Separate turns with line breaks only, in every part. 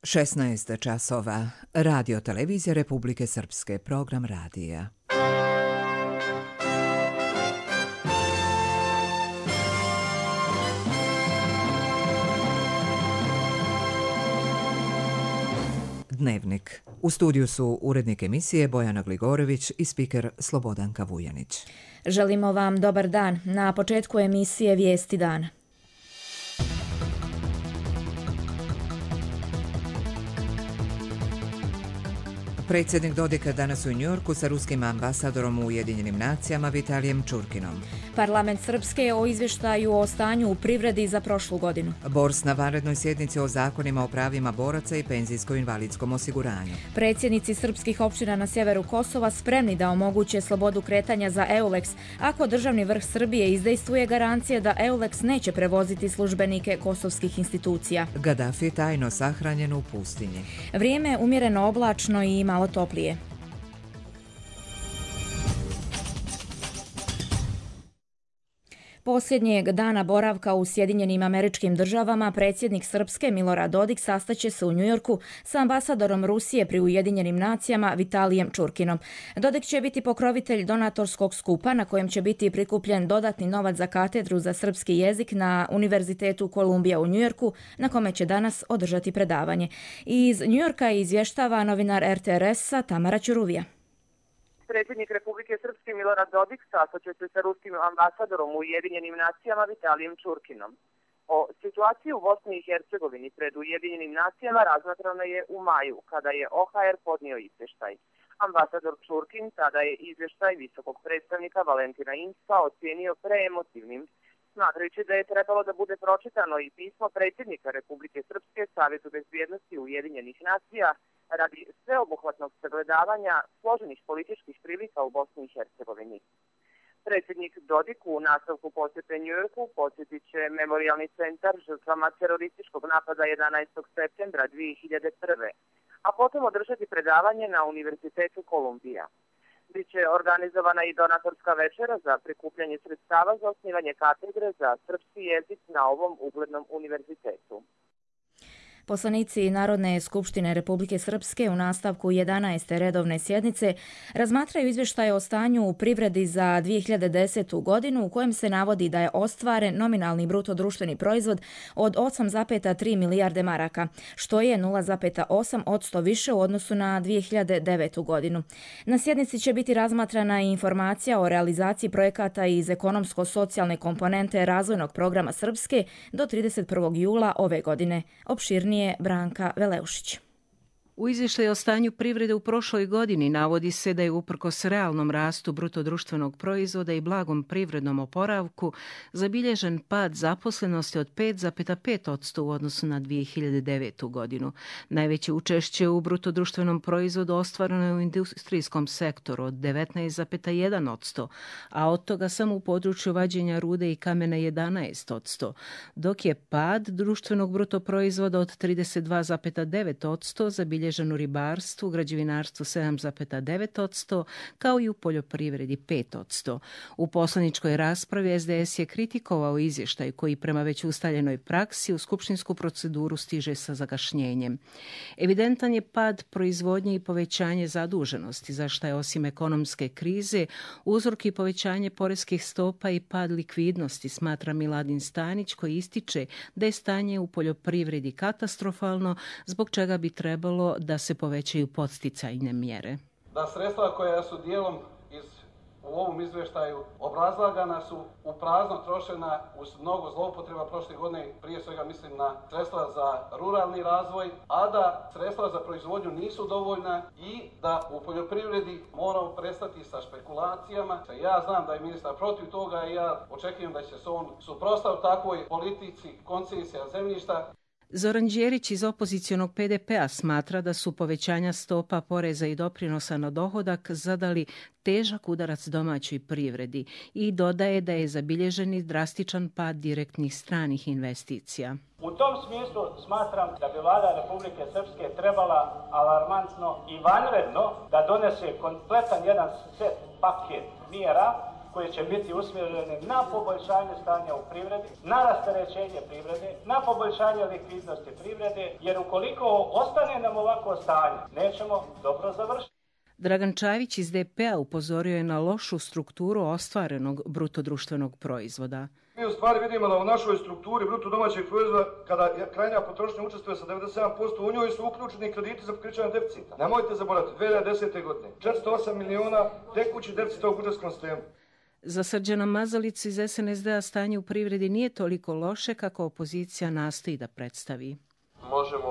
16 časova. Radio televizija Republike Srpske. Program radija. Dnevnik. U studiju su urednik emisije Bojana Gligorović i spiker Slobodanka Vujanić.
Želimo vam dobar dan. Na početku emisije Vijesti dana.
Predsjednik Dodika danas u Njujorku sa ruskim ambasadorom u Ujedinjenim nacijama Vitalijem Čurkinom.
Parlament Srpske o izvještaju o stanju u privredi za prošlu godinu.
Bors na vanrednoj sjednici o zakonima o pravima boraca i penzijsko-invalidskom osiguranju.
Predsjednici srpskih opština na sjeveru Kosova spremni da omoguće slobodu kretanja za EULEX ako državni vrh Srbije izdejstvuje garancije da EULEX neće prevoziti službenike kosovskih institucija.
Gaddafi tajno sahranjen u pustinji.
Vrijeme umjereno oblačno i malo toplije. Posljednjeg dana boravka u Sjedinjenim Američkim Državama predsjednik Srpske Milorad Dodik sastaće se u Njujorku sa ambasadorom Rusije pri Ujedinjenim nacijama Vitalijem Čurkinom. Dodik će biti pokrovitelj donatorskog skupa na kojem će biti prikupljen dodatni novac za katedru za srpski jezik na Univerzitetu Kolumbija u Njujorku, na kome će danas održati predavanje. Iz Njujorka izvještava novinar RTRS-a Tamara Ćuruvija.
Predsjednik Republike Srpske Milorad Dodik sastaće se sa ruskim ambasadorom u Ujedinjenim nacijama Vitalijem Čurkinom. O situaciji u Bosni i Hercegovini pred Ujedinjenim nacijama razmatrano je u maju, kada je OHR podnio izvještaj. Ambasador Čurkin tada je izvještaj visokog predstavnika Valentina Incka ocijenio preemotivnim, smatrajući da je trebalo da bude pročitano i pismo predsjednika Republike Srpske Savjetu bezbjednosti Ujedinjenih nacija radi sveobuhvatnog sagledavanja složenih političkih prilika u Bosni i Hercegovini. Predsjednik Dodik u nastavku posjete Njujorku posjetit će memorijalni centar žrtvama terorističkog napada 11. septembra 2001. a potom održati predavanje na Univerzitetu Kolumbija. Biće organizovana i donatorska večera za prikupljanje sredstava za osnivanje katedre za srpski jezik na ovom uglednom univerzitetu.
Poslanici Narodne skupštine Republike Srpske u nastavku 11. redovne sjednice razmatraju izvještaje o stanju u privredi za 2010. godinu u kojem se navodi da je ostvaren nominalni bruto društveni proizvod od 8,3 milijarde maraka, što je 0,8% više u odnosu na 2009. godinu. Na sjednici će biti razmatrana i informacija o realizaciji projekata iz ekonomsko-socijalne komponente razvojnog programa Srpske do 31. jula ove godine. Opširnije Branka Veleušić.
U izvještaju o stanju privrede u prošloj godini navodi se da je uprkos realnom rastu bruto društvenog proizvoda i blagom privrednom oporavku zabilježen pad zaposlenosti od 5,5% u odnosu na 2009. godinu. Najveće učešće u bruto društvenom proizvodu ostvareno je u industrijskom sektoru od 19,1%, a od toga samo u području vađenja rude i kamena 11%, dok je pad društvenog bruto proizvoda od 32,9% zabilježen u ribarstvu, građevinarstvu 7,9%, kao i u poljoprivredi 5%. U poslaničkoj raspravi SDS je kritikovao izvještaj koji prema već ustaljenoj praksi u skupštinsku proceduru stiže sa zakašnjenjem. Evidentan je pad proizvodnje i povećanje zaduženosti, za što je osim ekonomske krize uzrok i povećanje poreskih stopa i pad likvidnosti, smatra Miladin Stanić, koji ističe da je stanje u poljoprivredi katastrofalno, zbog čega bi trebalo da se povećaju podsticajne mjere.
Da sredstva koja su dijelom u ovom izvještaju obrazlagana su u prazno trošena uz mnogo zloupotreba prošle godine, prije svega mislim na sredstva za ruralni razvoj, a da sredstva za proizvodnju nisu dovoljna i da u poljoprivredi moramo prestati sa špekulacijama. Ja znam da je ministar protiv toga i ja očekujem da će se on suprotstaviti takvoj politici koncesija zemljišta.
Zoran Đerić iz opozicionog PDP-a smatra da su povećanja stopa poreza i doprinosa na dohodak zadali težak udarac domaćoj privredi i dodaje da je zabilježen i drastičan pad direktnih stranih investicija.
U tom smislu smatram da bi Vlada Republike Srpske trebala alarmantno i vanredno da donese kompletan jedan set paket mjera koje će biti usmjerene na poboljšanje stanja u privredi, na rasterećenje privrede, na poboljšanje likvidnosti privrede, jer ukoliko ostane nam ovako stanje, nećemo dobro završiti.
Dragan Čavić iz DP-a upozorio je na lošu strukturu ostvarenog brutodruštvenog proizvoda.
Mi u stvari vidimo da u našoj strukturi bruto domaćeg proizvoda, kada krajnja potrošnja učestvuje sa 97%, u njoj su uključeni krediti za pokrićanje deficita. Nemojte zaboraviti, 2010. godine 408 miliona tekući deficita u budžetskom sistemu.
Za Srđana Mazalicu iz SNSD-a stanje u privredi nije toliko loše kako opozicija nastoji da predstavi.
Možemo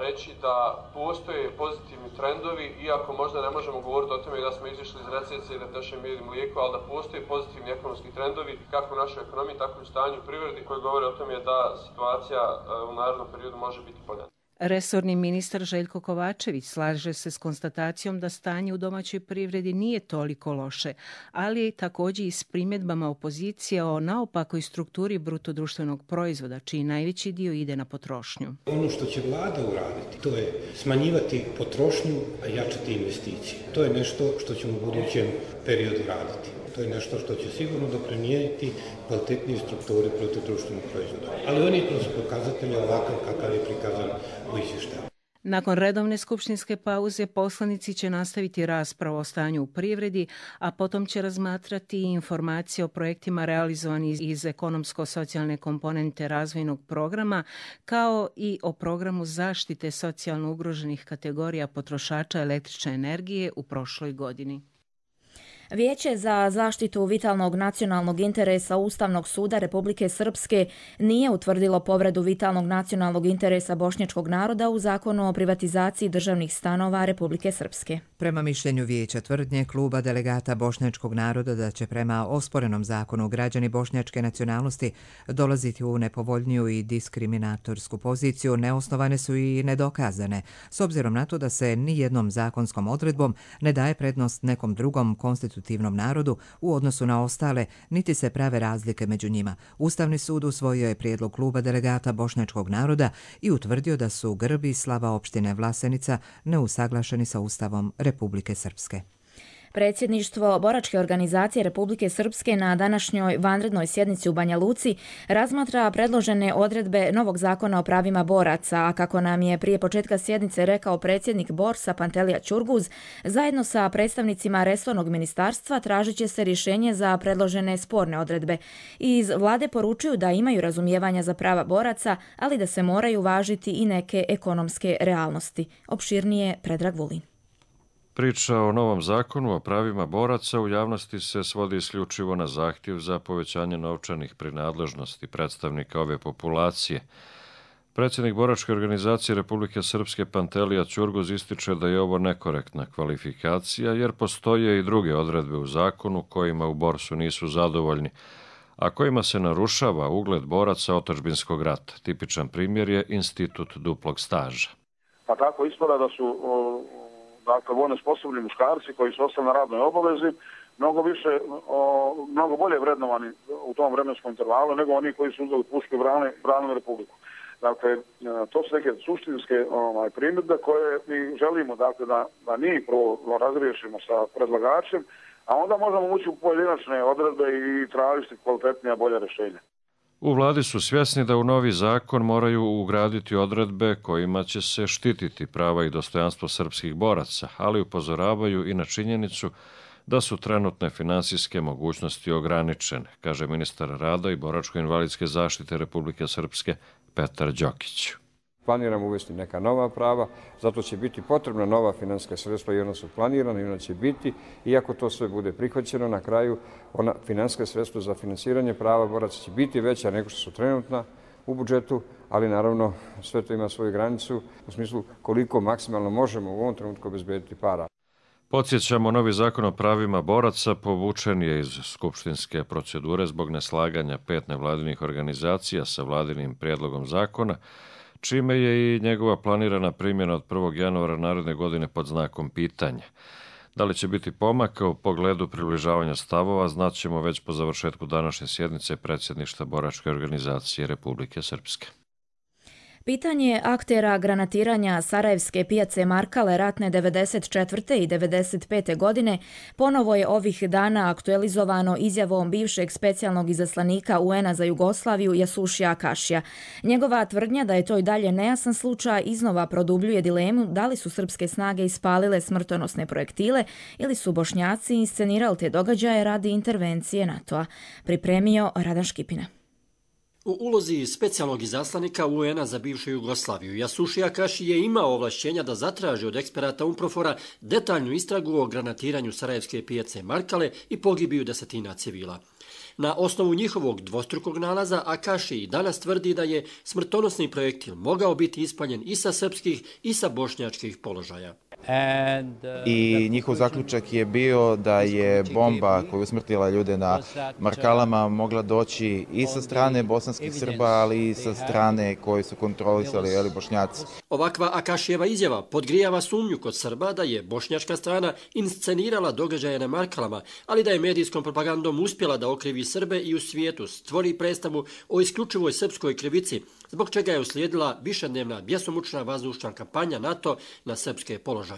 reći da postoje pozitivni trendovi, iako možda ne možemo govoriti o tome da smo izišli iz recesije i da tečemo med i mlijeko, ali da postoje pozitivni ekonomski trendovi kako u našoj ekonomiji, tako i u stanju u privredi, koji govore o tome da situacija u narednom periodu može biti bolja.
Resorni ministar Željko Kovačević slaže se s konstatacijom da stanje u domaćoj privredi nije toliko loše, ali također i s primjedbama opozicije o naopakoj strukturi brutodruštvenog proizvoda, čiji najveći dio ide na potrošnju.
Ono što će vlada uraditi, to je smanjivati potrošnju, a jačati investicije. To je nešto što ćemo u budućem periodu raditi. To je nešto što će sigurno doprinijeti kvalitetnije strukturi brutodruštvenog proizvoda. Ali oni kroz pokazatelje ovakav kakav je prikazan u izvještaju.
Nakon redovne skupštinske pauze poslanici će nastaviti raspravu o stanju u privredi, a potom će razmatrati informacije o projektima realizovanih iz ekonomsko-socijalne komponente razvojnog programa, kao i o programu zaštite socijalno ugroženih kategorija potrošača električne energije u prošloj godini.
Vijeće za zaštitu vitalnog nacionalnog interesa Ustavnog suda Republike Srpske nije utvrdilo povredu vitalnog nacionalnog interesa bošnjačkog naroda u zakonu o privatizaciji državnih stanova Republike Srpske.
Prema mišljenju vijeća tvrdnje kluba delegata bošnjačkog naroda da će prema osporenom zakonu građani bošnjačke nacionalnosti dolaziti u nepovoljniju i diskriminatorsku poziciju, neosnovane su i nedokazane, s obzirom na to da se nijednom zakonskom odredbom ne daje prednost nekom drugom konstitutivnom narodu u odnosu na ostale, niti se prave razlike među njima. Ustavni sud usvojio je prijedlog kluba delegata bošnjačkog naroda i utvrdio da su grb i slava opštine Vlasenica neusaglašeni sa Ustavom Republike Srpske.
Predsjedništvo Boračke organizacije Republike Srpske na današnjoj vanrednoj sjednici u Banja Luci razmatra predložene odredbe novog zakona o pravima boraca, a kako nam je prije početka sjednice rekao predsjednik Borsa Pantelija Ćurguz, zajedno sa predstavnicima resornog ministarstva tražit će se rješenje za predložene sporne odredbe. Iz vlade poručuju da imaju razumijevanja za prava boraca, ali da se moraju važiti i neke ekonomske realnosti. Opširnije Predrag Vulin.
Priča o novom zakonu o pravima boraca u javnosti se svodi isključivo na zahtjev za povećanje novčanih prinadležnosti predstavnika ove populacije. Predsjednik Boračke organizacije Republike Srpske Pantelija Ćurguz ističe da je ovo nekorektna kvalifikacija jer postoje i druge odredbe u zakonu kojima u Borsu nisu zadovoljni, a kojima se narušava ugled boraca otadžbinskog rata. Tipičan primjer je institut duplog staža.
Pa tako ispada da su dakle, vojno sposobni muškarci koji su ostali na radnoj obavezi mnogo bolje vrednovani u tom vremenskom intervalu nego oni koji su uzeli pušku i branili Republiku. Dakle, to su neke suštinske primjedbe koje mi želimo dakle, da njih prvo razriješimo sa predlagačem, a onda možemo ući u pojedinačne odredbe i tražiti kvalitetnija bolja rješenja.
U vladi su svjesni da u novi zakon moraju ugraditi odredbe kojima će se štititi prava i dostojanstvo srpskih boraca, ali upozoravaju i na činjenicu da su trenutne finansijske mogućnosti ograničene, kaže ministar rada i boračko-invalidske zaštite Republike Srpske Petar Đokić.
Planiramo uvesti neka nova prava, zato će biti potrebna nova finansijska sredstva i ona su planirana i ona će biti, iako to sve bude prihvaćeno, na kraju ona finansijska sredstva za finansiranje prava boraca će biti veća nego što su trenutna u budžetu, ali naravno sve to ima svoju granicu u smislu koliko maksimalno možemo u ovom trenutku obezbediti para.
Podsjećamo, novi zakon o pravima boraca povučen je iz skupštinske procedure zbog neslaganja 5 nevladinih organizacija sa vladinim prijedlogom zakona, čime je i njegova planirana primjena od 1. januara naredne godine pod znakom pitanja. Da li će biti pomaka u pogledu približavanja stavova, znaćemo već po završetku današnje sjednice predsjedništva Boračke organizacije Republike Srpske.
Pitanje aktera granatiranja sarajevske pijace Markale ratne 94. i 95. godine ponovo je ovih dana aktualizovano izjavom bivšeg specijalnog izaslanika UN-a za Jugoslaviju Jasušija Akašija. Njegova tvrdnja da je to i dalje nejasan slučaj iznova produbljuje dilemu da li su srpske snage ispalile smrtonosne projektile ili su Bošnjaci inscenirali te događaje radi intervencije NATO-a. Pripremio Radan Škipina.
U ulozi specijalnog izaslanika UN-a za bivšu Jugoslaviju, Jasušija Akaši je imao ovlašćenja da zatraži od eksperata UNPROFOR-a detaljnu istragu o granatiranju sarajevske pijace Markale i pogibiju desetina civila. Na osnovu njihovog dvostrukog nalaza Akaši i danas tvrdi da je smrtonosni projektil mogao biti ispaljen i sa srpskih i sa bošnjačkih položaja.
I njihov zaključak je bio da je bomba koja je usmrtila ljude na Markalama mogla doći i sa strane bosanskih Srba, ali i sa strane koje su kontrolisali Bošnjaci.
Ovakva Akašijeva izjava podgrijava sumnju kod Srba da je bošnjačka strana inscenirala događaje na Markalama, ali da je medijskom propagandom uspjela da okrivi Srbe i u svijetu stvori predstavu o isključivoj srpskoj krivici, zbog čega je uslijedila višednevna bjesomučna vazdušna kampanja NATO na srpske položaje.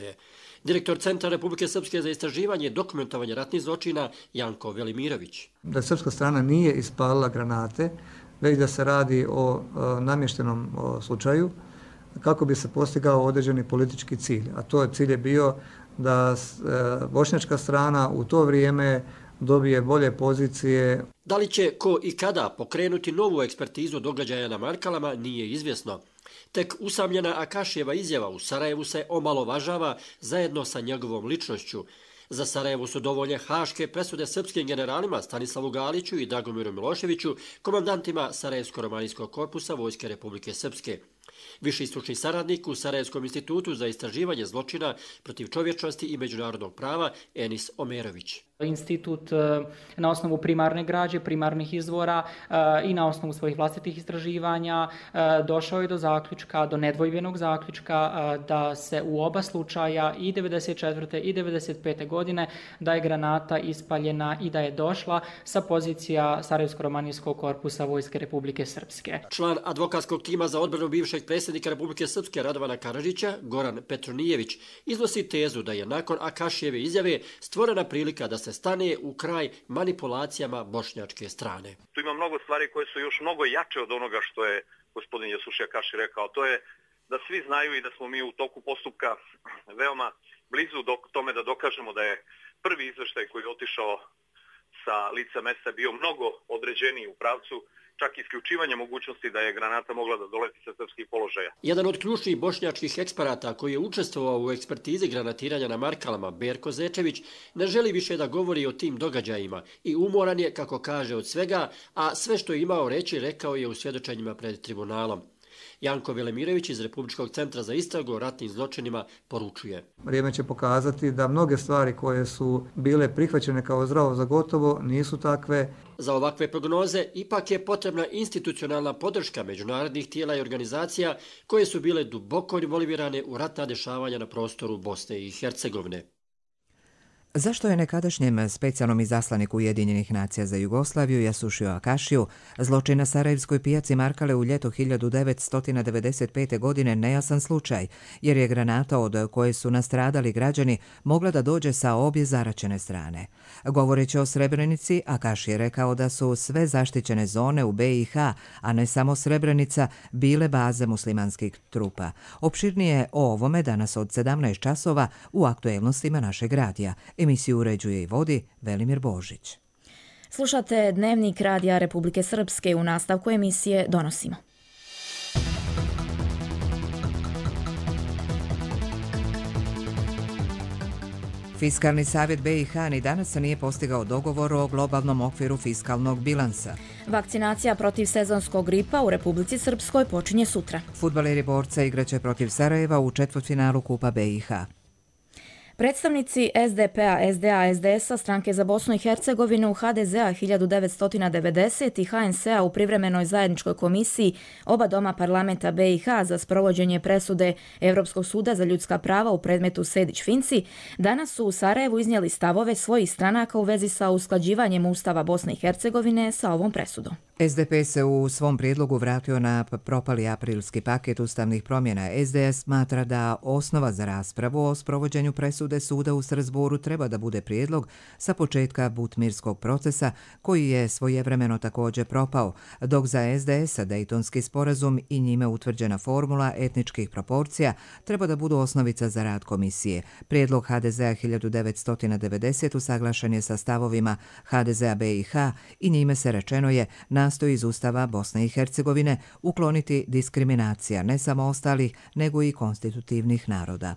Direktor Centra Republike Srpske za istraživanje i dokumentovanje ratnih zločina Janko Velimirović.
Da srpska strana nije ispalila granate, već da se radi o namještenom slučaju kako bi se postigao određeni politički cilj. A to cilj je bio da bošnjačka strana u to vrijeme dobije bolje pozicije.
Da li će ko i kada pokrenuti novu ekspertizu događaja na Markalama nije izvjesno. Tek usamljena Akašijeva izjava u Sarajevu se omalovažava zajedno sa njegovom ličnošću. Za Sarajevo su dovoljne haške presude srpskim generalima Stanislavu Galiću i Dragomiru Miloševiću, komandantima Sarajevsko-romanijskog korpusa Vojske Republike Srpske. Viši stručni saradnik u Sarajevskom institutu za istraživanje zločina protiv čovječnosti i međunarodnog prava Enis Omerović.
Institut na osnovu primarne građe, primarnih izvora i na osnovu svojih vlastitih istraživanja došao je do zaključka, do nedvojbenog zaključka da se u oba slučaja i 94. i 95. godine da je granata ispaljena i da je došla sa pozicija Sarajevsko-romanijskog korpusa Vojske Republike Srpske.
Član advokatskog tima za odbranu bivšeg predsjednika Republike Srpske Radovana Karadžića, Goran Petronijević, iznosi tezu da je nakon Akašijeve izjave stvorena prilika da se stane u kraj manipulacijama bošnjačke strane.
Tu ima mnogo stvari koje su još mnogo jače od onoga što je gospodin Jasušija Akaši rekao. To je da svi znaju i da smo mi u toku postupka veoma blizu tome da dokažemo da je prvi izveštaj koji je otišao sa lica mesta bio mnogo određeniji u pravcu čak isključivanje mogućnosti da je granata mogla da doleti sa srpskih položaja.
Jedan od ključnih bošnjačkih eksperata koji je učestvovao u ekspertizi granatiranja na Markalama, Berko Zečević, ne želi više da govori o tim događajima i umoran je, kako kaže, od svega, a sve što je imao reći rekao je u svjedočenjima pred tribunalom. Janko Velimirović iz Republičkog centra za istragu o ratnim zločinima poručuje.
Vrijeme će pokazati da mnoge stvari koje su bile prihvaćene kao zdravo za gotovo nisu takve.
Za ovakve prognoze ipak je potrebna institucionalna podrška međunarodnih tijela i organizacija koje su bile duboko involvirane u ratna dešavanja na prostoru Bosne i Hercegovine.
Zašto je nekadašnjem specijalnom izaslaniku Ujedinjenih nacija za Jugoslaviju Jasušiju Akašiju zločin na Sarajevskoj pijaci Markale u ljeto 1995. godine nejasan slučaj, jer je granata od koje su nastradali građani mogla da dođe sa obje zaraćene strane. Govoreći o Srebrenici, Akaši je rekao da su sve zaštićene zone u BiH, a ne samo Srebrenica, bile baze muslimanskih trupa. Opširnije o ovome danas od 17 časova u aktuelnostima našeg radija. Emisiju uređuje i vodi Velimir Božić.
Slušate Dnevnik Radija Republike Srpske. U nastavku emisije donosimo.
Fiskalni savjet BiH ni danas nije postigao dogovor o globalnom okviru fiskalnog bilansa.
Vakcinacija protiv sezonskog gripa u Republici Srpskoj počinje sutra.
Fudbaleri Borca igraće protiv Sarajeva u četvrtfinalu Kupa BiH.
Predstavnici SDP-a, SDA, SDS-a, Stranke za Bosnu i Hercegovinu, HDZ-a 1990 i HNS-a u privremenoj zajedničkoj komisiji oba doma parlamenta BiH za sprovođenje presude Evropskog suda za ljudska prava u predmetu Sejdić-Finci danas su u Sarajevu iznijeli stavove svojih stranaka u vezi sa usklađivanjem Ustava Bosne i Hercegovine sa ovom presudom.
SDP se u svom prijedlogu vratio na propali aprilski paket ustavnih promjena. SDS smatra da osnova za raspravu o sprovođenju presude suda u Strasbourgu treba da bude prijedlog sa početka butmirskog procesa koji je svojevremeno također propao, dok za SDS-a Dejtonski sporazum i njime utvrđena formula etničkih proporcija treba da budu osnovica za rad komisije. Prijedlog HDZ-a 1990 usaglašen je sa stavovima HDZ-a BiH i njime se rečeno je nastoji iz Ustava Bosne i Hercegovine ukloniti diskriminacija ne samo ostalih, nego i konstitutivnih naroda.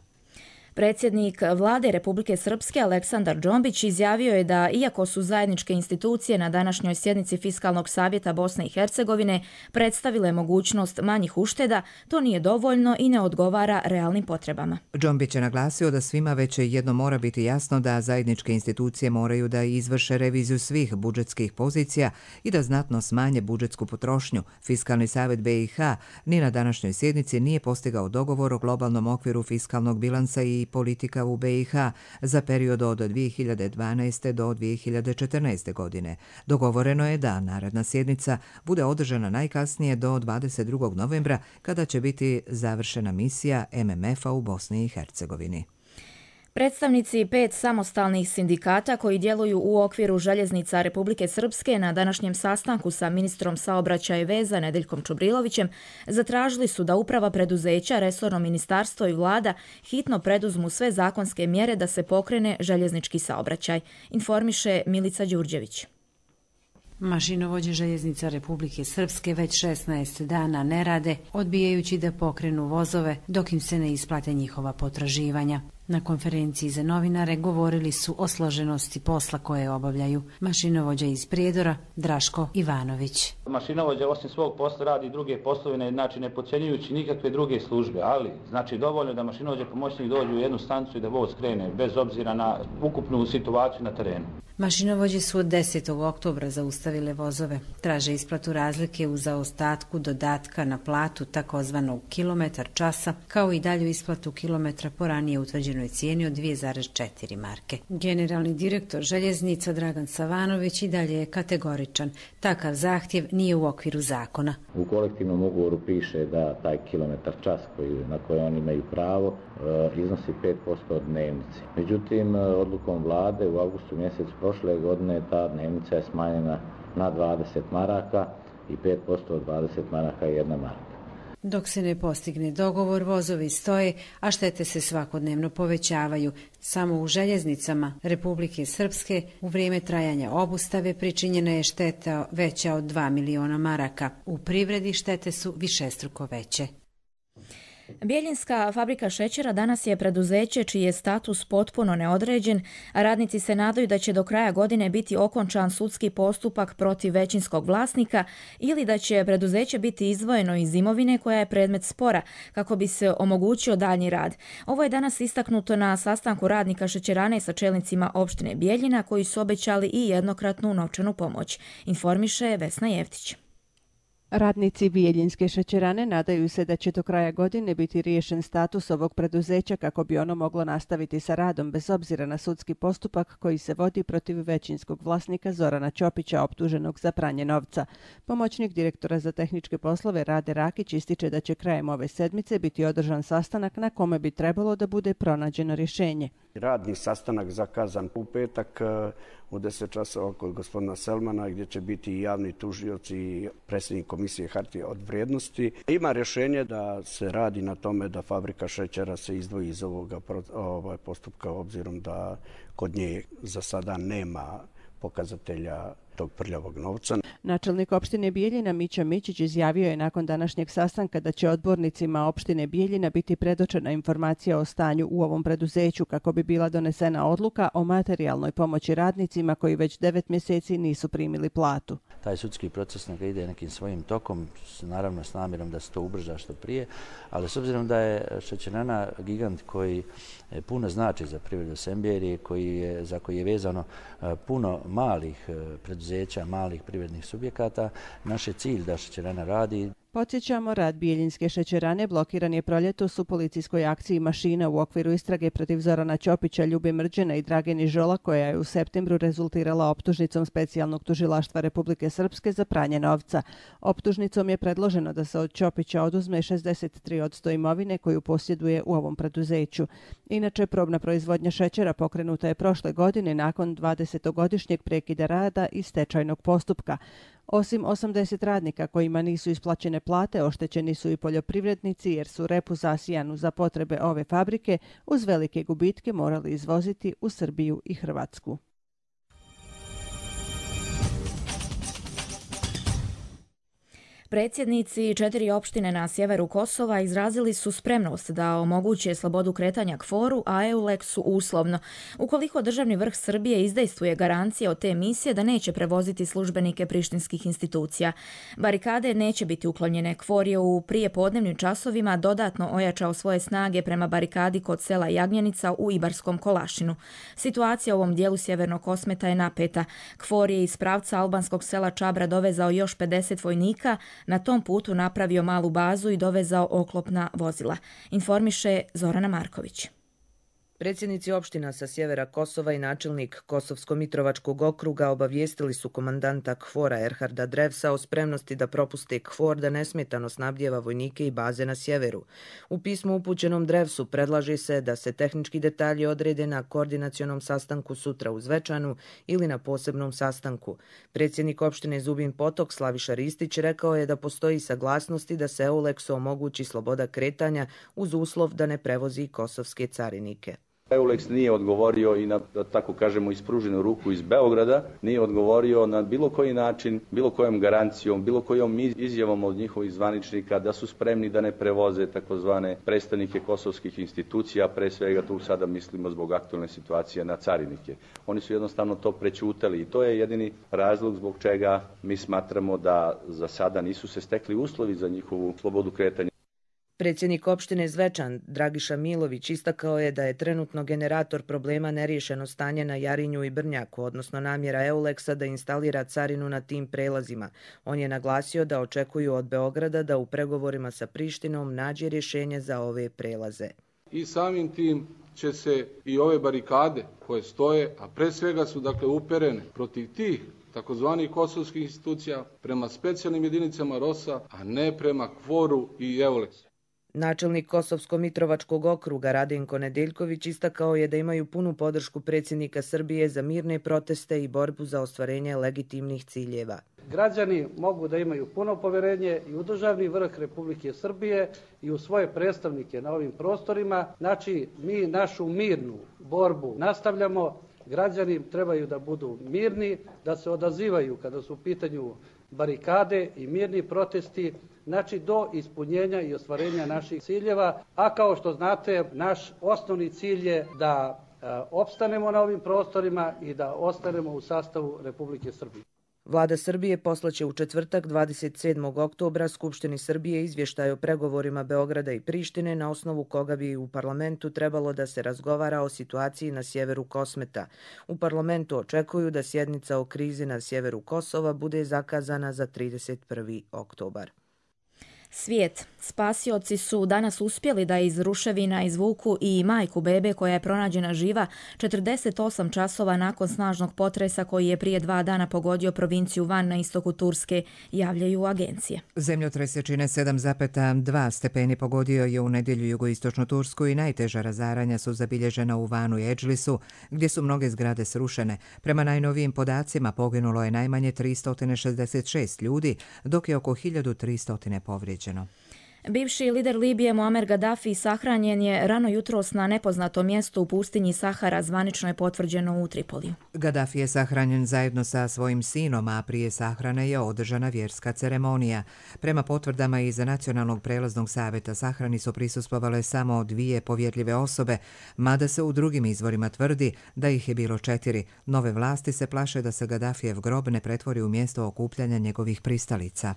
Predsjednik Vlade Republike Srpske Aleksandar Džombić izjavio je da iako su zajedničke institucije na današnjoj sjednici Fiskalnog savjeta Bosne i Hercegovine predstavile mogućnost manjih ušteda, to nije dovoljno i ne odgovara realnim potrebama.
Džombić je naglasio da svima već jedno mora biti jasno da zajedničke institucije moraju da izvrše reviziju svih budžetskih pozicija i da znatno smanje budžetsku potrošnju. Fiskalni savjet BiH ni na današnjoj sjednici nije postigao dogovor o globalnom okviru fiskalnog bilansa i politika u BiH za period od 2012. do 2014. godine. Dogovoreno je da naredna sjednica bude održana najkasnije do 22. novembra, kada će biti završena misija MMF-a u Bosni i Hercegovini.
Predstavnici 5 samostalnih sindikata koji djeluju u okviru željeznica Republike Srpske na današnjem sastanku sa ministrom saobraćaja i veza Nedeljkom Čubrilovićem zatražili su da uprava preduzeća, resorno ministarstvo i vlada hitno preduzmu sve zakonske mjere da se pokrene željeznički saobraćaj, informiše Milica Đurđević.
Mašinovođe željeznica Republike Srpske već 16 dana ne rade, odbijajući da pokrenu vozove dok im se ne isplate njihova potraživanja. Na konferenciji za novinare govorili su o složenosti posla koje obavljaju. Mašinovođa iz Prijedora Draško Ivanović.
Mašinovođa osim svog posla radi druge poslove, znači ne podcjenjujući nikakve druge službe, ali znači dovoljno da mašinovođa pomoćnik dođe u jednu stancu i da voz krene bez obzira na ukupnu situaciju na terenu.
Mašinovođe su od 10. oktobra zaustavile vozove. Traže isplatu razlike u zaostatku dodatka na platu takozvanog kilometar časa, kao i dalju isplatu kilometra po ranije utvrđenoj cijeni od 2,4 marke. Generalni direktor željeznica Dragan Savanović i dalje je kategoričan. Takav zahtjev nije u okviru zakona.
U kolektivnom ugovoru piše da taj kilometar čas na koji oni imaju pravo iznosi 5% od dnevnice. Međutim, odlukom vlade u avgustu mjesecu prošle godine ta dnevnica je smanjena na 20 maraka i 5% od 20 maraka je 1 marka.
Dok se ne postigne dogovor, vozovi stoje, a štete se svakodnevno povećavaju. Samo u željeznicama Republike Srpske u vrijeme trajanja obustave pričinjena je šteta veća od 2 miliona maraka. U privredi štete su višestruko veće.
Bjeljinska fabrika šećera danas je preduzeće čiji je status potpuno neodređen, a radnici se nadaju da će do kraja godine biti okončan sudski postupak protiv većinskog vlasnika ili da će preduzeće biti izdvojeno iz imovine koja je predmet spora kako bi se omogućio daljnji rad. Ovo je danas istaknuto na sastanku radnika šećerane sa čelnicima opštine Bjeljina koji su obećali i jednokratnu novčanu pomoć, informiše Vesna Jeftić.
Radnici Bijeljinske šećerane nadaju se da će do kraja godine biti riješen status ovog preduzeća kako bi ono moglo nastaviti sa radom bez obzira na sudski postupak koji se vodi protiv većinskog vlasnika Zorana Ćopića optuženog za pranje novca. Pomoćnik direktora za tehničke poslove Rade Rakić ističe da će krajem ove sedmice biti održan sastanak na kome bi trebalo da bude pronađeno rješenje.
Radni sastanak zakazan u petak u 10 časova kod gospodina Selmana gdje će biti i javni tužioc i predsjednik komisije hartije od vrijednosti. Ima rješenje da se radi na tome da fabrika šećera se izdvoji iz ovoga postupka obzirom da kod nje za sada nema pokazatelja tog prljavog novca.
Načelnik opštine Bijeljina Mića Mićić izjavio je nakon današnjeg sastanka da će odbornicima opštine Bijeljina biti predočena informacija o stanju u ovom preduzeću kako bi bila donesena odluka o materijalnoj pomoći radnicima koji već 9 mjeseci nisu primili platu.
Taj sudski proces neka ide nekim svojim tokom, naravno s namjerom da se to ubrza što prije, ali s obzirom da je šećerana gigant koji puno znači za privredu Semberije, za koji je vezano puno malih preduzeća, malih privrednih subjekata, naš je cilj da šećerana radi.
Podsjećamo, rad Bijeljinske šećerane blokiran je proljetos u policijskoj akciji Mašina u okviru istrage protiv Zorana Ćopića, Ljube Mrđena i Drageni Žola, koja je u septembru rezultirala optužnicom Specijalnog tužilaštva Republike Srpske za pranje novca. Optužnicom je predloženo da se od Ćopića oduzme 63% imovine koju posjeduje u ovom preduzeću. Inače, probna proizvodnja šećera pokrenuta je prošle godine nakon 20-godišnjeg prekida rada i stečajnog postupka. Osim 80 radnika kojima nisu isplaćene plate, oštećeni su i poljoprivrednici jer su repu zasijanu za potrebe ove fabrike uz velike gubitke morali izvoziti u Srbiju i Hrvatsku.
Predsjednici 4 opštine na sjeveru Kosova izrazili su spremnost da omoguće slobodu kretanja KFOR-u, a EULEX-u uslovno, ukoliko državni vrh Srbije izdejstvuje garancije od te misije da neće prevoziti službenike prištinskih institucija. Barikade neće biti uklonjene. KFOR je u prijepodnevnim časovima dodatno ojačao svoje snage prema barikadi kod sela Jagnjenica u Ibarskom Kolašinu. Situacija u ovom dijelu sjevernog Kosmeta je napeta. KFOR je iz pravca albanskog sela Čabra dovezao još 50 vojnika, na tom putu napravio malu bazu i dovezao oklopna vozila, informiše Zorana Marković.
Predsjednici opština sa sjevera Kosova i načelnik Kosovsko-Mitrovačkog okruga obavijestili su komandanta KFOR-a Erharda Drevsa o spremnosti da propuste KFOR da nesmetano snabdjeva vojnike i baze na sjeveru. U pismu upućenom Drevsu predlaže se da se tehnički detalji odrede na koordinacionom sastanku sutra u Zvečanu ili na posebnom sastanku. Predsjednik opštine Zubin Potok Slaviša Ristić rekao je da postoji saglasnosti da se EULEX-u omogući sloboda kretanja uz uslov da ne prevozi kosovske carinike.
EULEX nije odgovorio i na, da tako kažemo, ispruženu ruku iz Beograda, nije odgovorio na bilo koji način, bilo kojom garancijom, bilo kojom izjavom od njihovih zvaničnika da su spremni da ne prevoze takozvane predstavnike kosovskih institucija, pre svega tu sada mislimo zbog aktualne situacije na carinike. Oni su jednostavno to prećutali i to je jedini razlog zbog čega mi smatramo da za sada nisu se stekli uslovi za njihovu slobodu kretanja.
Predsjednik opštine Zvečan, Dragiša Milović, istakao je da je trenutno generator problema neriješeno stanje na Jarinju i Brnjaku, odnosno namjera EULEX-a da instalira carinu na tim prelazima. On je naglasio da očekuju od Beograda da u pregovorima sa Prištinom nađe rješenje za ove prelaze.
I samim tim će se i ove barikade koje stoje, a pre svega su dakle uperene protiv tih takozvanih kosovskih institucija prema specijalnim jedinicama ROS-a, a ne prema KFOR-u i EULEX-u.
Načelnik Kosovsko-Mitrovačkog okruga Radenko Nedeljković istakao je da imaju punu podršku predsjednika Srbije za mirne proteste i borbu za ostvarenje legitimnih ciljeva.
Građani mogu da imaju puno poverenje i u državni vrh Republike Srbije i u svoje predstavnike na ovim prostorima. Znači, mi našu mirnu borbu nastavljamo. Građani trebaju da budu mirni, da se odazivaju kada su u pitanju barikade i mirni protesti, znači do ispunjenja i ostvarenja naših ciljeva. A kao što znate, naš osnovni cilj je da opstanemo na ovim prostorima i da ostanemo u sastavu Republike Srbije.
Vlada Srbije poslaće u četvrtak 27. oktobra Skupštini Srbije izvještaj o pregovorima Beograda i Prištine na osnovu koga bi u parlamentu trebalo da se razgovara o situaciji na sjeveru Kosmeta. U parlamentu očekuju da sjednica o krizi na sjeveru Kosova bude zakazana za 31. oktobar.
Svijet. Spasioci su danas uspjeli da iz ruševina izvuku i majku bebe koja je pronađena živa 48 časova nakon snažnog potresa koji je prije 2 dana pogodio provinciju Van na istoku Turske, javljaju agencije.
Zemljotres jačine 7,2 stepeni pogodio je u nedjelju jugoistočnu Tursku i najteža razaranja su zabilježena u Vanu i Edžlisu, gdje su mnoge zgrade srušene. Prema najnovijim podacima poginulo je najmanje 366 ljudi, dok je oko 1300 povrijeđeno.
Bivši lider Libije Muamer Gaddafi sahranjen je rano jutros na nepoznatom mjestu u pustinji Sahara, zvanično je potvrđeno u Tripoliju.
Gaddafi je sahranjen zajedno sa svojim sinom, a prije sahrane je održana vjerska ceremonija. Prema potvrdama iz Nacionalnog prelaznog savjeta sahrani su prisustvovale samo 2 povjerljive osobe, mada se u drugim izvorima tvrdi da ih je bilo 4. Nove vlasti se plaše da se Gaddafijev grob ne pretvori u mjesto okupljanja njegovih pristalica.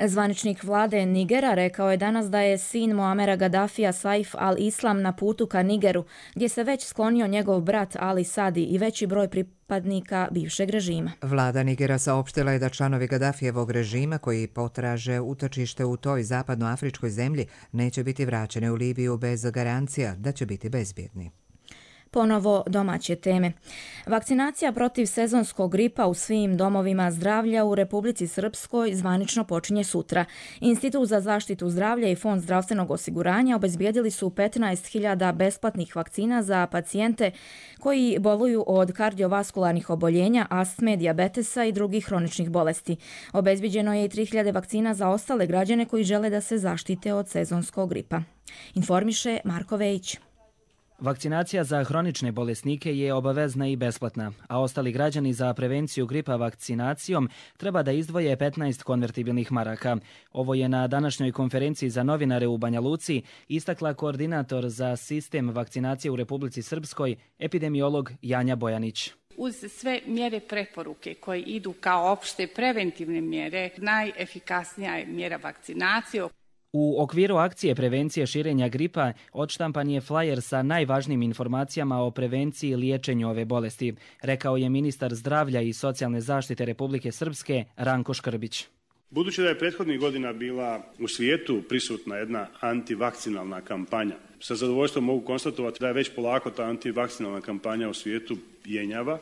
Zvaničnik vlade Nigera rekao je danas da je sin Muamera Gaddafija Saif al-Islam na putu ka Nigeru, gdje se već sklonio njegov brat Ali Sadi i veći broj pripadnika bivšeg režima.
Vlada Nigera saopštila je da članovi Gaddafijevog režima koji potraže utočište u toj zapadnoafričkoj zemlji neće biti vraćeni u Libiju bez garancija da će biti bezbjedni.
Ponovo domaće teme. Vakcinacija protiv sezonskog gripa u svim domovima zdravlja u Republici Srpskoj zvanično počinje sutra. Institut za zaštitu zdravlja i Fond zdravstvenog osiguranja obezbijedili su 15.000 besplatnih vakcina za pacijente koji boluju od kardiovaskularnih oboljenja, astme, dijabetesa i drugih hroničnih bolesti. Obezbijeđeno je i 3.000 vakcina za ostale građane koji žele da se zaštite od sezonskog gripa. Informiše Marko Vejić.
Vakcinacija za hronične bolesnike je obavezna i besplatna, a ostali građani za prevenciju gripa vakcinacijom treba da izdvoje 15 konvertibilnih maraka. Ovo je na današnjoj konferenciji za novinare u Banja Luci istakla koordinator za sistem vakcinacije u Republici Srpskoj, epidemiolog Janja Bojanić.
Uz sve mjere preporuke koje idu kao opšte preventivne mjere, najefikasnija je mjera vakcinacije.
U okviru akcije prevencije širenja gripa odštampan je flajer sa najvažnijim informacijama o prevenciji i liječenju ove bolesti, rekao je ministar zdravlja i socijalne zaštite Republike Srpske Ranko Škrbić.
Budući da je prethodnih godina bila u svijetu prisutna jedna antivakcinalna kampanja, sa zadovoljstvom mogu konstatovati da je već polako ta antivakcinalna kampanja u svijetu jenjava.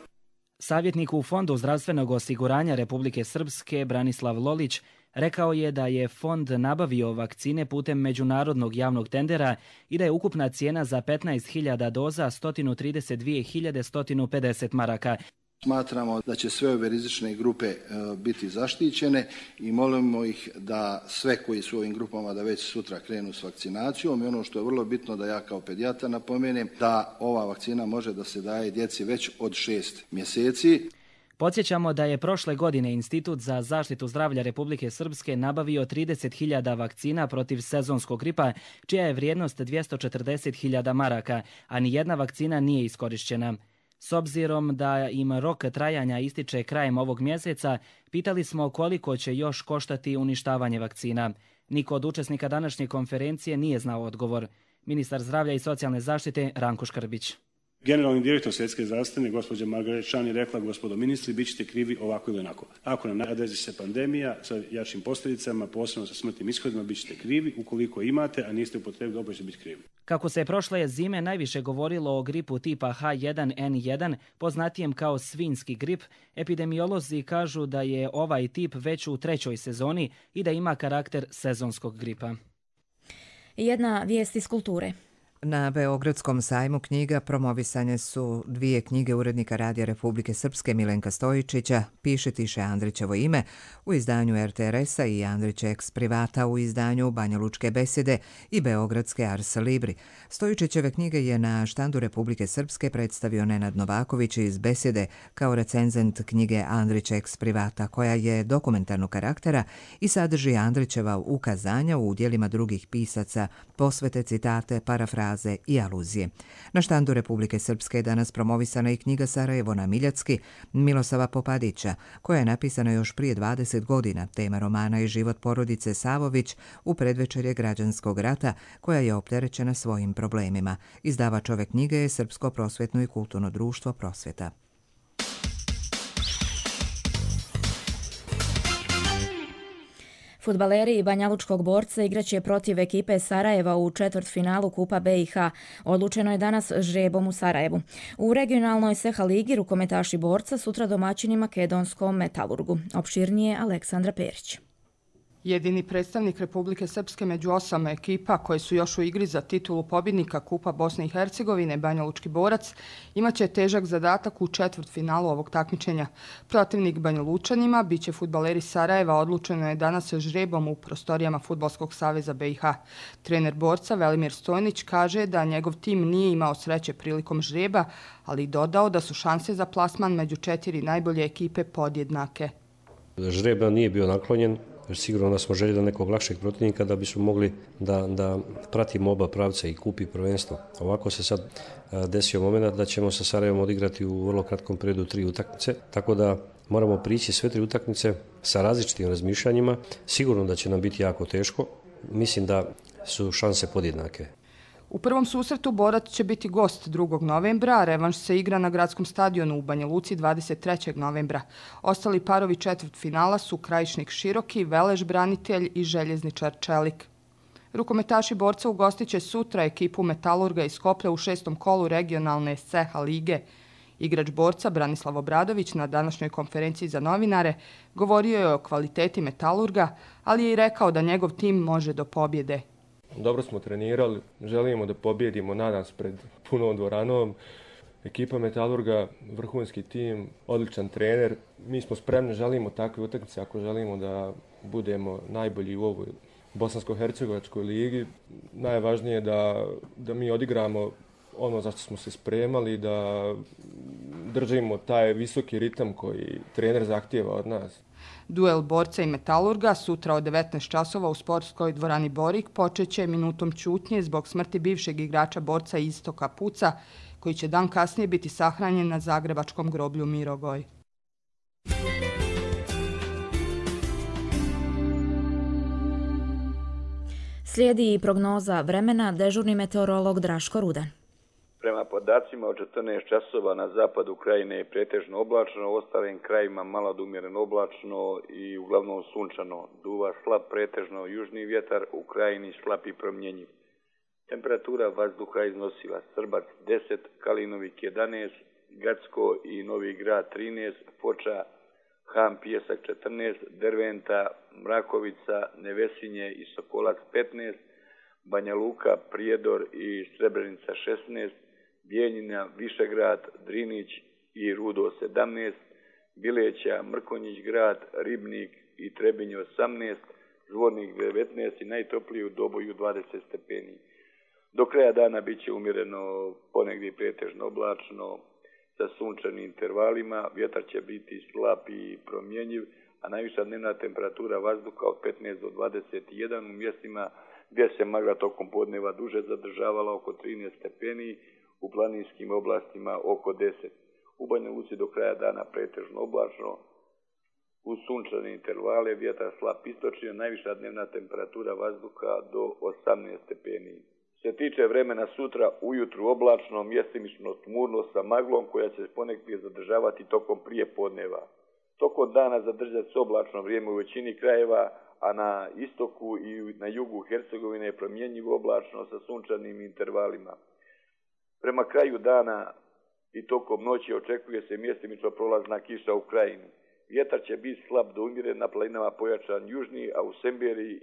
Savjetnik u Fondu zdravstvenog osiguranja Republike Srpske Branislav Lolić rekao je da je fond nabavio vakcine putem međunarodnog javnog tendera i da je ukupna cijena za 15.000 doza 132.150 maraka.
Smatramo da će sve ove rizične grupe biti zaštićene i molimo ih da sve koji su u ovim grupama da već sutra krenu s vakcinacijom i ono što je vrlo bitno da ja kao pedijatar napomenem da ova vakcina može da se daje djeci već od 6 mjeseci.
Podsjećamo da je prošle godine Institut za zaštitu zdravlja Republike Srpske nabavio 30.000 vakcina protiv sezonskog gripa, čija je vrijednost 240.000 maraka, a nijedna vakcina nije iskorišćena. S obzirom da im rok trajanja ističe krajem ovog mjeseca, pitali smo koliko će još koštati uništavanje vakcina. Niko od učesnika današnje konferencije nije znao odgovor. Ministar zdravlja i socijalne zaštite Ranko Škrbić.
Generalni direktor Svjetske zdravstvene, gospođa Margaret Chan, je rekla: gospodo ministri, bit ćete krivi ovako ili onako. Ako nam nadesi se pandemija sa jačim posljedicama, posebno sa smrtnim ishodima, bit ćete krivi. Ukoliko imate, a niste upotrebili, opet ćete biti krivi.
Kako se prošle zime najviše govorilo o gripu tipa H1N1, poznatijem kao svinjski grip, epidemiolozi kažu da je ovaj tip već u 3. sezoni i da ima karakter sezonskog gripa.
Jedna vijest iz kulture.
Na Beogradskom sajmu knjiga promovisane su 2 knjige urednika Radija Republike Srpske Milenka Stojičića, Piše tiše Andrićevo ime u izdanju RTRS-a i Andrić Ex Privata u izdanju Banja Lučke besede i Beogradske Ars Libri. Stojičićeve knjige je na štandu Republike Srpske predstavio Nenad Novaković iz besede kao recenzent knjige Andrić Ex Privata, koja je dokumentarnog karaktera i sadrži Andrićeva ukazanja u udjelima drugih pisaca, posvete, citate, parafraze i aluzije. Na štandu Republike Srpske je danas promovisana i knjiga Sarajevo na Miljacki Milosava Popadića, koja je napisana još prije 20 godina. Tema romana je život porodice Savović u predvečerje građanskog rata, koja je opterećena svojim problemima. Izdavač ove knjige je Srpsko prosvjetno i kulturno društvo Prosvjeta.
Fudbaleri Banjalučkog Borca igraće protiv ekipe Sarajeva u četvrtfinalu Kupa BiH. Odlučeno je danas žrebom u Sarajevu. U regionalnoj Seha ligi rukometaši Borca sutra domaćini makedonskom Metalurgu. Opširnije Aleksandra Perić.
Jedini predstavnik Republike Srpske među 8 ekipa koje su još u igri za titulu pobjednika Kupa Bosne i Hercegovine, Banjalučki Borac, imaće težak zadatak u četvrtfinalu ovog takmičenja. Protivnik Banjalučanima biće fudbaleri Sarajeva, odlučeno je danas žrebom u prostorijama Fudbalskog saveza BiH. Trener Borca Velimir Stojnić kaže da njegov tim nije imao sreće prilikom žreba, ali dodao da su šanse za plasman među 4 najbolje ekipe podjednake.
Žreb nam nije bio naklonjen. Sigurno da smo željeli nekog lakšeg protivnika da bismo mogli da pratimo oba pravca i kupi prvenstvo. Ovako se sad desio moment da ćemo sa Sarajevom odigrati u vrlo kratkom periodu 3 utakmice, tako da moramo prići sve 3 utakmice sa različitim razmišljanjima. Sigurno da će nam biti jako teško. Mislim da su šanse podjednake.
U prvom susretu borac će biti gost 2. novembra, a revanš se igra na gradskom stadionu u Banja Luci 23. novembra. Ostali parovi četvrtfinala su Krajišnik Široki, Veleš Branitelj i Željezničar Čelik. Rukometaši borca ugostit će sutra ekipu Metalurga iz Skoplja u 6. kolu regionalne CH lige. Igrač borca Branislav Obradović na današnjoj konferenciji za novinare govorio je o kvaliteti Metalurga, ali je i rekao da njegov tim može do pobjede.
Dobro smo trenirali, želimo da pobjedimo, nadam se pred punom dvoranom. Ekipa Metalurga, vrhunski tim, odličan trener. Mi smo spremni, želimo takve utakmice ako želimo da budemo najbolji u ovoj Bosansko-hercegovačkoj ligi. Najvažnije je da mi odigramo ono za što smo se spremali, da držimo taj visoki ritam koji trener zahtijeva od nas.
Duel borca i Metalurga sutra od 19 časova u sportskoj dvorani Borik počeće minutom ćutnje zbog smrti bivšeg igrača borca Istoka Puca, koji će dan kasnije biti sahranjen na zagrebačkom groblju Mirogoj.
Slijedi i prognoza vremena, dežurni meteorolog Draško Rudan.
Prema podacima od 14 časova na zapadu Krajine je pretežno oblačno, u ostalim krajima malo do umjereno oblačno i uglavnom sunčano. Duva slab pretežno južni vjetar, u Krajini slab i promjenjiv. Temperatura vazduha iznosila Srbac 10, Kalinovik 11, Gacko i Novi Grad 13, Foča, Ham Pijesak 14, Derventa, Mrakovica, Nevesinje i Sokolac 15, Banja Luka, Prijedor i Srebrenica 16, Bijeljina, Višegrad, Drinić i Rudo 17, Bileća, Mrkonjić grad, Ribnik i Trebinje 18, Zvornik 19 i najtopliji u Doboju 20 stepeni. Do kraja dana bit će umjereno ponegdje pretežno oblačno sa sunčanim intervalima, vjetar će biti slab i promjenjiv, a najviša dnevna temperatura vazduha od 15 do 21 u mjestima gdje se magla tokom podneva duže zadržavala oko 13 stepeni, u planinskim oblastima oko 10. U Banja Luci do kraja dana pretežno oblačno, uz sunčane intervale, vjetar slab istočni, najviša dnevna temperatura vazduha do 18 stepeni. Što se tiče vremena sutra, ujutru oblačno, mjestimično tmurno sa maglom koja će se ponegdje zadržavati tokom prije podneva. Tokom dana zadržati se oblačno vrijeme u većini krajeva, a na istoku i na jugu Hercegovine je promjenjivo oblačno sa sunčanim intervalima. Prema kraju dana i tokom noći očekuje se mjestimično prolazna kiša u Krajini. Vjetar će biti slab do umjeren, na planinama pojačan južni, a u Semberiji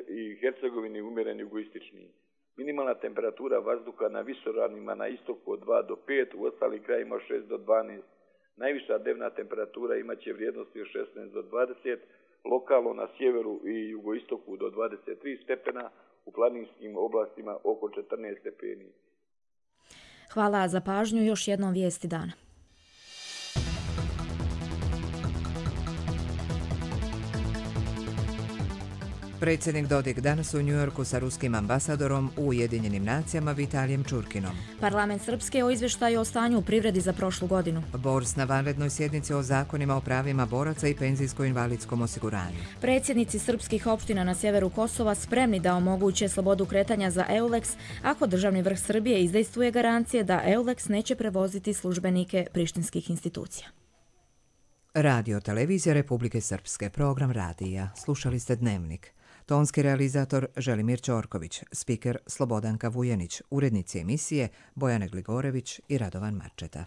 i Hercegovini umjeren jugoistični. Minimalna temperatura vazduha na visoravnima na istoku od 2 do 5, u ostalim krajima od 6 do 12. Najviša dnevna temperatura imaće vrijednosti od 16 do 20, lokalno na sjeveru i jugoistoku do 23 stepena, u planinskim oblastima oko 14 stepeni.
Hvala za pažnju, još jednom vijesti dana.
Predsjednik Dodik danas u Njujorku sa ruskim ambasadorom u Ujedinjenim nacijama Vitalijem Čurkinom.
Parlament Srpske o izvještaju o stanju u privredi za prošlu godinu.
Bors na vanrednoj sjednici o zakonima o pravima boraca i penzijsko-invalidskom osiguranju.
Predsjednici srpskih opština na sjeveru Kosova spremni da omoguće slobodu kretanja za EULEX ako državni vrh Srbije izdejstvuje garancije da EULEX neće prevoziti službenike prištinskih institucija.
Radio televizija Republike Srpske, program radija. Slušali ste Dnevnik. Tonski realizator Želimir Ćorković, spiker Slobodanka Vujenić, urednici emisije Bojana Gligorević i Radovan Marčeta.